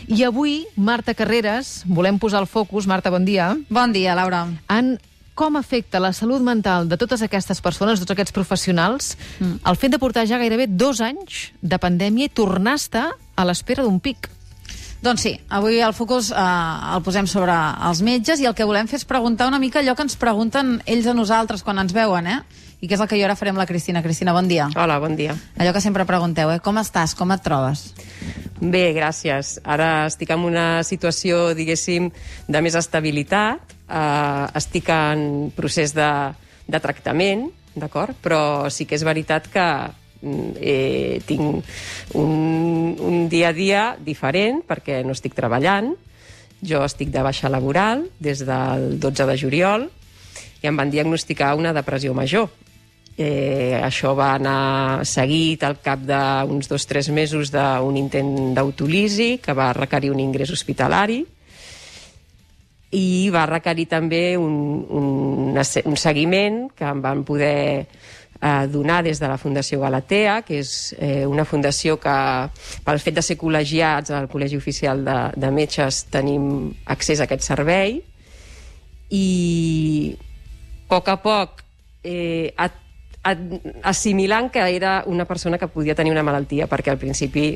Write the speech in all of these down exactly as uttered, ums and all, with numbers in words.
I avui, Marta Carreras, volem posar el focus, Marta, bon dia. Bon dia, Laura. En com afecta la salut mental de totes aquestes persones, de tots aquests professionals, mm. el fet de portar ja gairebé dos anys de pandèmia i tornar a estar a l'espera d'un pic. Doncs sí, avui el focus eh, el posem sobre els metges i el que volem fer és preguntar una mica allò que ens pregunten ells a nosaltres quan ens veuen, eh? I que és el que jo ara faré amb la Cristina. Cristina, bon dia. Hola, bon dia. Allò que sempre pregunteu, eh? Com estàs? Com et trobes? Bé, gràcies. Ara estic en una situació, diguéssim, de més estabilitat. Uh, estic en procés de, de tractament, d'acord? Però sí que és veritat que eh, tinc un, un dia a dia diferent perquè no estic treballant. Jo estic de baixa laboral des del dotze de juliol i em van diagnosticar una depressió major. Eh, això va anar seguit al cap d'uns dos o tres mesos d'un intent d'autòlisi que va requerir un ingrés hospitalari i va requerir també un, un, un seguiment que em van poder eh, donar des de la Fundació Galatea, que és eh, una fundació que, pel fet de ser col·legiats al Col·legi Oficial de, de Metges, tenim accés a aquest servei i a poc a poc eh, a assimilant que era una persona que podia tenir una malaltia, perquè al principi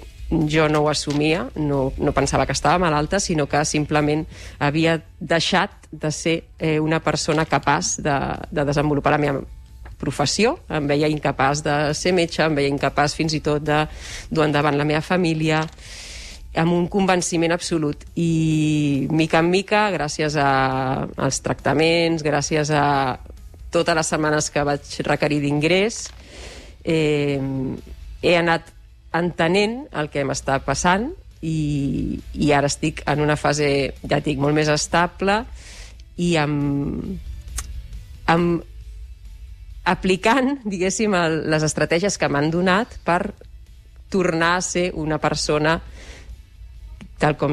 jo no ho assumia, no, no pensava que estava malalta, sinó que simplement havia deixat de ser eh, una persona capaç de, de desenvolupar la meva professió. Em veia incapaç de ser metge, em veia incapaç fins i tot de dur endavant la meva família, amb un convenciment absolut. I mica en mica, gràcies a, als tractaments, gràcies a totes les setmanes que vaig requerir d'ingrés, eh, he anat entenent el que m'està passant i, i ara estic en una fase, ja dic, molt més estable i amb, amb aplicant, diguéssim, el, les estratègies que m'han donat per tornar a ser una persona, tal com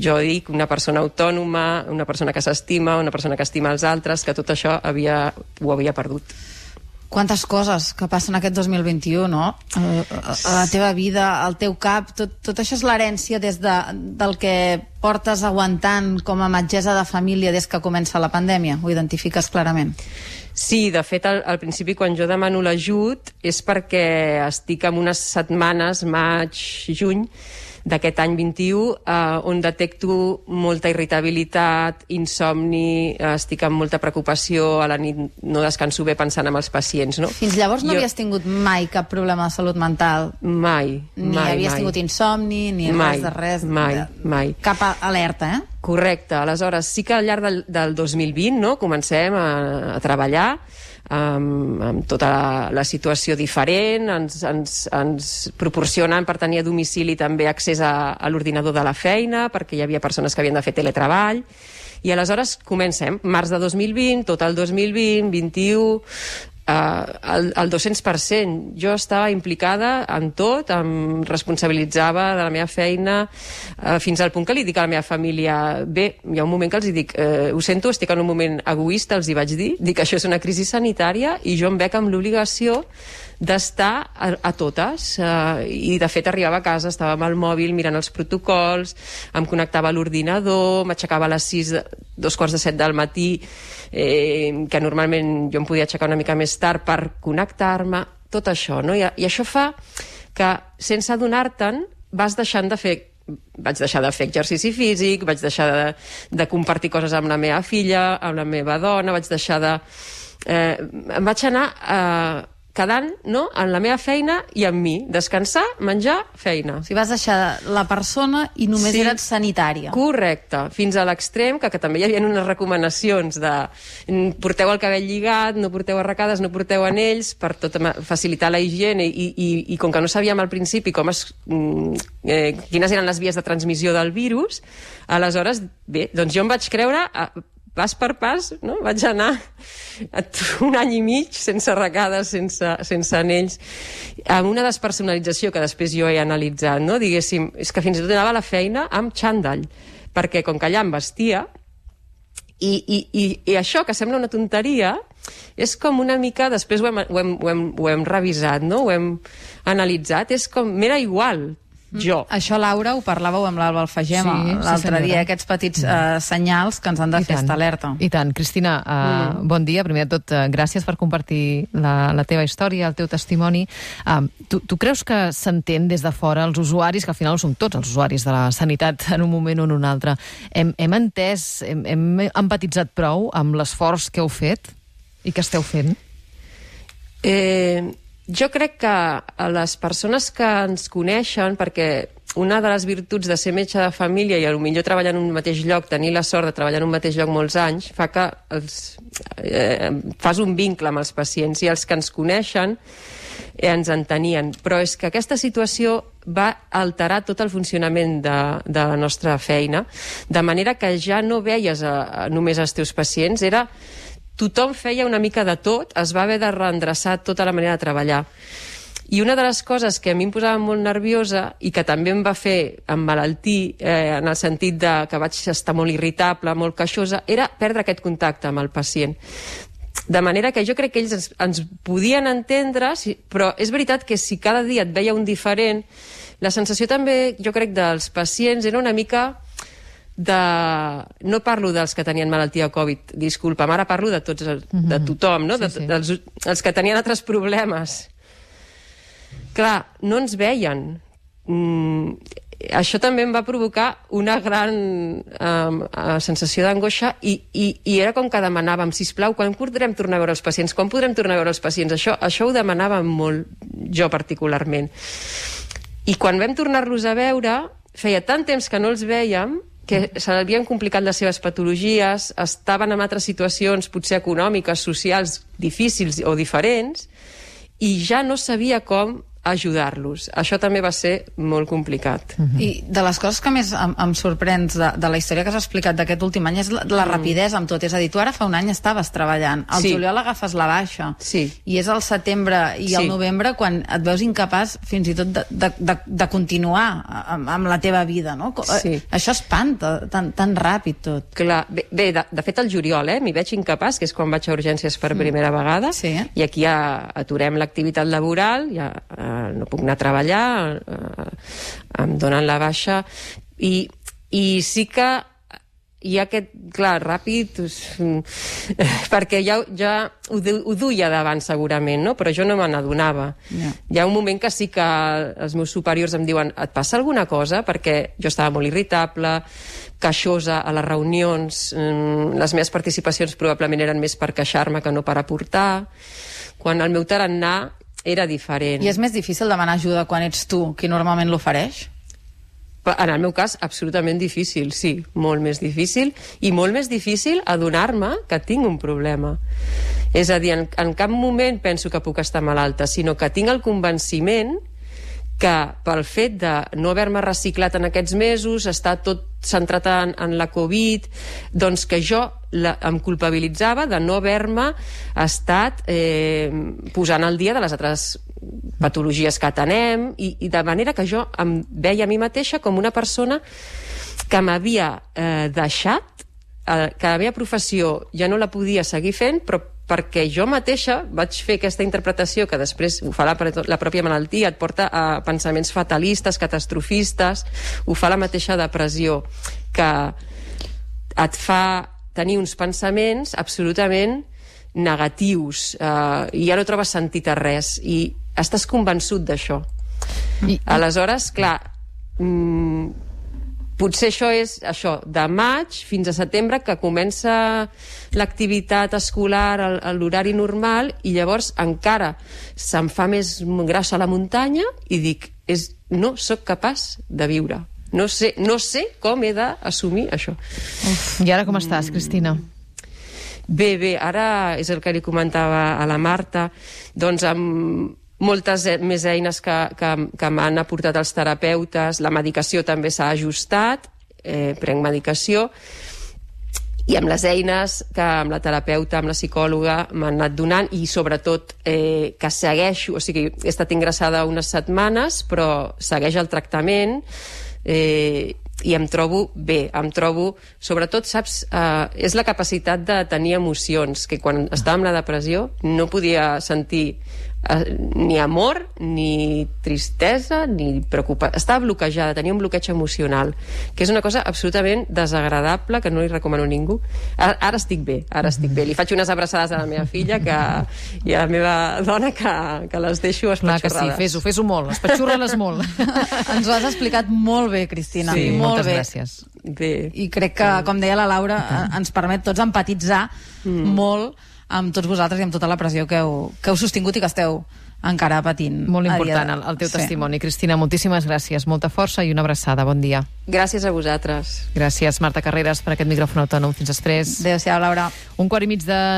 jo dic, una persona autònoma, una persona que s'estima, una persona que estima els altres, que tot això havia, ho havia perdut. Quantes coses que passen aquest dos mil vint-i-u, no? A la teva vida, al teu cap, tot, tot això és l'herència des de, del que portes aguantant com a metgessa de família des que comença la pandèmia. Ho identifiques clarament? Sí, de fet, al, al principi, quan jo demano l'ajut, és perquè estic en unes setmanes, maig, juny, d'aquest any vint-i-u, eh, on detecto molta irritabilitat, insomni, eh, estic amb molta preocupació, a la nit no descanso bé pensant en els pacients, no? Fins llavors no jo... havies tingut mai cap problema de salut mental? Mai, ni mai, havies mai. tingut insomni, ni mai, res de res? Mai, de... mai. Cap alerta, eh? Correcte. Aleshores, sí que al llarg del, del dos mil vint, no?, comencem a, a treballar amb, amb tota la, la situació diferent, ens, ens, ens proporcionen per tenir a domicili també accés a, a l'ordinador de la feina, perquè hi havia persones que havien de fer teletreball, i aleshores comencem, març de dos mil vint, tot el dos mil vint, vint-i-u, Uh, el, el dos-cents per cent. Jo estava implicada en tot, em responsabilitzava de la meva feina, uh, fins al punt que li dic a la meva família, bé, hi ha un moment que els dic, uh, ho sento, estic en un moment egoista, els hi vaig dir, dic, això és una crisi sanitària i jo em veig amb l'obligació d'estar a, a totes, uh, i de fet arribava a casa, estava amb el mòbil mirant els protocols, em connectava a l'ordinador, m'aixecava a les sis, dos quarts de set del matí, eh, que normalment jo em podia aixecar una mica més tard per connectar-me, tot això, no? I, i això fa que, sense adonar-te'n, vas deixant de fer vaig deixar de fer exercici físic, vaig deixar de, de compartir coses amb la meva filla, amb la meva dona, vaig deixar de... Eh, em vaig anar eh, quedant, no?, en la meva feina i en mi. Descansar, menjar, feina. O sigui, vas deixar la persona i només sí, eres sanitària. Correcte. Fins a l'extrem, que, que també hi havia unes recomanacions de porteu el cabell lligat, no porteu arracades, no porteu anells, per tot facilitar la higiene, i, i, i com que no sabíem al principi com es, eh, quines eren les vies de transmissió del virus, aleshores, bé, doncs jo em vaig creure... A, pas per pas, no? Vaig anar un any i mig sense arracades, sense, sense anells, amb una despersonalització que després jo he analitzat, no? Diguéssim, és que fins i tot anava a la feina amb xandall, perquè com que allà em vestia, i, i, i, i això, que sembla una tonteria, és com una mica, després ho hem, ho hem, ho hem, ho hem revisat, no? Ho hem analitzat, és com, m'era igual jo. Això, Laura, ho parlàveu amb l'Alba Alfagem Sí, l'altre sí, dia, aquests petits uh, senyals que ens han de I fer tant. estar alerta. I tant. Cristina, uh, mm. bon dia. Primer de tot, uh, gràcies per compartir la, la teva història, el teu testimoni. Uh, tu, tu creus que s'entén des de fora els usuaris, que al final som tots els usuaris de la sanitat en un moment o en un altre, hem, hem entès, hem, hem empatitzat prou amb l'esforç que heu fet i que esteu fent? Eh... Jo crec que a les persones que ens coneixen, perquè una de les virtuts de ser metge de família i potser treballar en un mateix lloc, tenir la sort de treballar en un mateix lloc molts anys, fa que els, eh, fas un vincle amb els pacients, i els que ens coneixen eh, ens entenien. Però és que aquesta situació va alterar tot el funcionament de, de la nostra feina, de manera que ja no veies a, a només els teus pacients, era... Tothom feia una mica de tot, es va haver de reendreçar tota la manera de treballar. I una de les coses que a mi em posava molt nerviosa i que també em va fer emmalaltir, eh, en el sentit de que vaig estar molt irritable, molt queixosa, era perdre aquest contacte amb el pacient. De manera que jo crec que ells ens, ens podien entendre, si, però és veritat que si cada dia et veia un diferent, la sensació també, jo crec, dels pacients era una mica... de... no parlo dels que tenien malaltia Covid, disculpa, ara parlo de tots, el, mm-hmm. de tothom, no? Sí, de, sí. dels, els que tenien altres problemes. Clar, no ens veien. Mm, això també em va provocar una gran um, uh, sensació d'angoixa i, i, i era com que demanàvem, sisplau, quan podrem tornar a veure els pacients? Quan podrem tornar a veure els pacients? Això, això ho demanàvem molt, jo particularment. I quan vam tornar-los a veure, feia tant temps que no els vèiem que se l'havien complicat les seves patologies, estaven en altres situacions, potser econòmiques, socials, difícils o diferents, i ja no sabia com ajudar-los. Això també va ser molt complicat. Mm-hmm. I de les coses que més em, em sorprens de, de la història que has explicat d'aquest últim any és la, la mm. rapidesa amb tot. És a dir, tu ara fa un any estaves treballant, al sí. juliol agafes la baixa, sí. i és al setembre i sí. al novembre quan et veus incapaç fins i tot de, de, de, de continuar amb, amb la teva vida, no? Sí. Això espanta, tan, tan ràpid tot. Clar, bé, bé de, de fet al juliol, eh, m'hi veig incapaç, que és quan vaig a urgències per primera mm. vegada, sí. i aquí ja aturem l'activitat laboral, ja eh, no puc anar a treballar, eh, em donen la baixa, i, i sí que hi ha aquest, clar, ràpid, perquè ja, ja ho, ho duia davant segurament, no? Però jo no me n'adonava. Yeah. Hi ha un moment que sí que els meus superiors em diuen, et passa alguna cosa? Perquè jo estava molt irritable, queixosa a les reunions, les meves participacions probablement eren més per queixar-me que no per aportar. Quan el meu tarannà era diferent. I és més difícil demanar ajuda quan ets tu qui normalment l'ofereix? En el meu cas, absolutament difícil, sí, molt més difícil, i molt més difícil adonar-me que tinc un problema. És a dir, en, en cap moment penso que puc estar malalta, sinó que tinc el convenciment que pel fet de no haver-me reciclat en aquests mesos, estar tot centrat en, en la Covid, doncs que jo la, em culpabilitzava de no haver-me estat eh, posant al dia de les altres patologies que atenem, i, i de manera que jo em veia a mi mateixa com una persona que m'havia eh, deixat, eh, que la meva professió ja no la podia seguir fent, però perquè jo mateixa vaig fer aquesta interpretació que després ho fa la, la pròpia malaltia, et porta a pensaments fatalistes, catastrofistes, ho fa la mateixa depressió, que et fa tenir uns pensaments absolutament negatius, eh, i ja no trobes sentit a res, i estàs convençut d'això. I... Aleshores, clar, mmm, potser això és això, de maig fins a setembre, que comença l'activitat escolar a l'horari normal, i llavors encara se'm fa més grossa la muntanya i dic, és, no sóc capaç de viure. No sé, no sé com he d'assumir això. Uf. I ara com estàs, Cristina? Bé, bé, ara és el que li comentava a la Marta, doncs amb moltes més eines que, que, que m'han aportat els terapeutes, la medicació també s'ha ajustat, eh, prenc medicació, i amb les eines que amb la terapeuta, amb la psicòloga m'han anat donant, i sobretot eh, que segueixo, o sigui, he estat ingressada unes setmanes, però segueix el tractament, eh, i em trobo bé, em trobo, sobretot, saps, eh, és la capacitat de tenir emocions, que quan estava amb la depressió no podia sentir eh, ni amor, ni tristesa, ni preocupació. Estava bloquejada, tenia un bloqueig emocional, que és una cosa absolutament desagradable, que no li recomano a ningú. Ara, ara estic bé, ara estic bé. Li faig unes abraçades a la meva filla que, i a la meva dona que, que les deixo espatxorrades. Clar que sí, fes-ho, fes-ho molt, espatxorra-les molt. Ens ho has explicat molt bé, Cristina. Sí, molt moltes bé. gràcies. Bé. I crec que, com deia la Laura, ens permet tots empatitzar mm. molt amb tots vosaltres i amb tota la pressió que heu, que heu sostingut i que esteu encara patint. Molt important de... el, el teu sí. testimoni. Cristina, moltíssimes gràcies, molta força i una abraçada. Bon dia. Gràcies a vosaltres. Gràcies, Marta Carreras, per aquest micròfon autònom. Fins després. Adéu-siau, Laura. Un quart i mig de